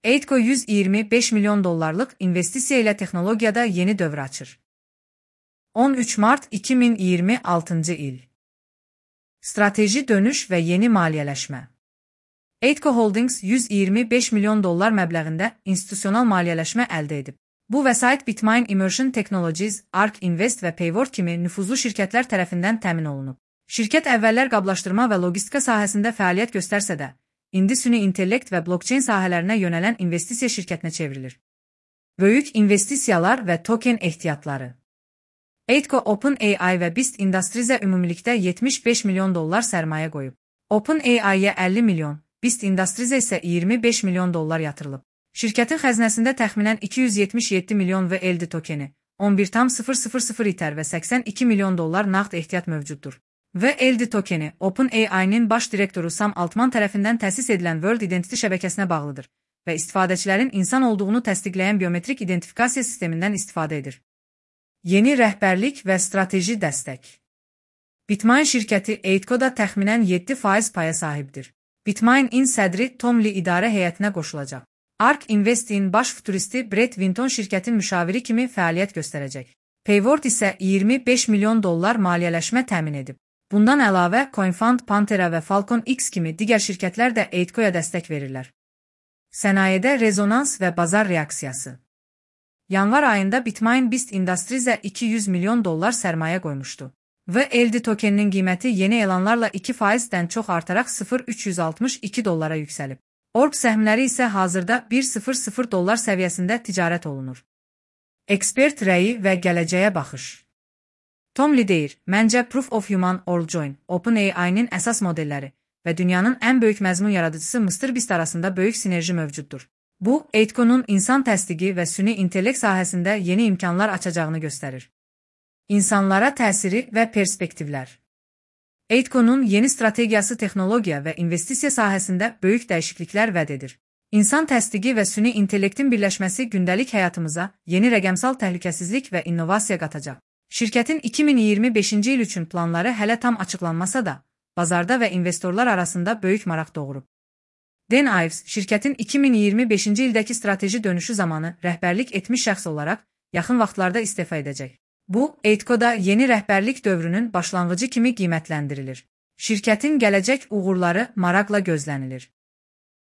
Eidco 125 milyon dollarlık investisiya ilə texnologiyada yeni dövr açır. 13 Mart 2026 il. Strateji dönüş və yeni maliyyələşmə. Eidco Holdings 125 milyon dollar məbləğində institusional maliyyələşmə əldə edib. Bu vəsait Bitmain Immersion Technologies, ARK Invest və Payward kimi nüfuzlu şirkətlər tərəfindən təmin olunub. Şirkət əvvəllər qablaşdırma və logistika sahəsində fəaliyyət göstərsə də, indi süni intellekt və blockchain sahələrinə yönələn investisiya şirkətinə çevrilir. Böyük investisiyalar və token ehtiyatları. Eidco OpenAI və Beast Industries-ə ümumilikdə 75 milyon dollar sərmayə qoyub. OpenAI-yə 50 milyon, Beast Industries-ə isə 25 milyon dollar yatırılıb. Şirkətin xəzinəsində təxminən 277 milyon VLD tokeni, 11,000 İTER və 82 milyon dollar nağd ehtiyat mövcuddur. VLD tokeni OpenAI-nin baş direktoru Sam Altman tərəfindən təsis edilən World Identity şəbəkəsinə bağlıdır və istifadəçilərin insan olduğunu təsdiqləyən biometrik identifikasiya sistemindən istifadə edir. Yeni rəhbərlik və strateji dəstək. Bitmain şirkəti Eidco-da təxminən 7% paya sahibdir. Bitmain-in sədri Tom Lee idarə heyətinə qoşulacaq. ARK Invest-in baş futuristi Brett Winton şirkətin müşaviri kimi fəaliyyət göstərəcək. Payward isə 25 milyon dollar maliyyələşmə təmin edib. Bundan əlavə, CoinFund, Pantera və Falcon X kimi digər şirkətlər də Eidco-ya dəstək verirlər. Sənayedə rezonans və bazar reaksiyası. Yanvar ayında Bitmain Beast Industries-ə 200 milyon dollar sərmayə qoymuşdu. VLD tokeninin qiyməti yeni elanlarla 2%-dən çox artaraq 0,362 dollara yüksəlib. ORB səhmləri isə hazırda 1,00 dollar səviyyəsində ticarət olunur. Ekspert rəyi və gələcəyə baxış. Tom Lee deyir, məncə Proof of Human Origin, OpenAI-nin əsas modelləri və dünyanın ən böyük məzmun yaradıcısı MrBeast arasında böyük sinerji mövcuddur. Bu, Eidco-nun insan təsdiqi və süni intellekt sahəsində yeni imkanlar açacağını göstərir. İnsanlara təsiri və perspektivlər. Eidco-nun yeni strategiyası texnologiya və investisiya sahəsində böyük dəyişikliklər vəd edir. İnsan təsdiqi və süni intellektin birləşməsi gündəlik həyatımıza yeni rəqəmsal təhlükəsizlik və innovasiya qatacaq. Şirkətin 2025-ci il üçün planları hələ tam açıqlanmasa da, bazarda və investorlar arasında böyük maraq doğurub. Dan Ives, şirkətin 2025-ci ildəki strateji dönüşü zamanı rəhbərlik etmiş şəxs olaraq yaxın vaxtlarda istefa edəcək. Bu, Eidco-da yeni rəhbərlik dövrünün başlanğıcı kimi qiymətləndirilir. Şirkətin gələcək uğurları maraqla gözlənilir.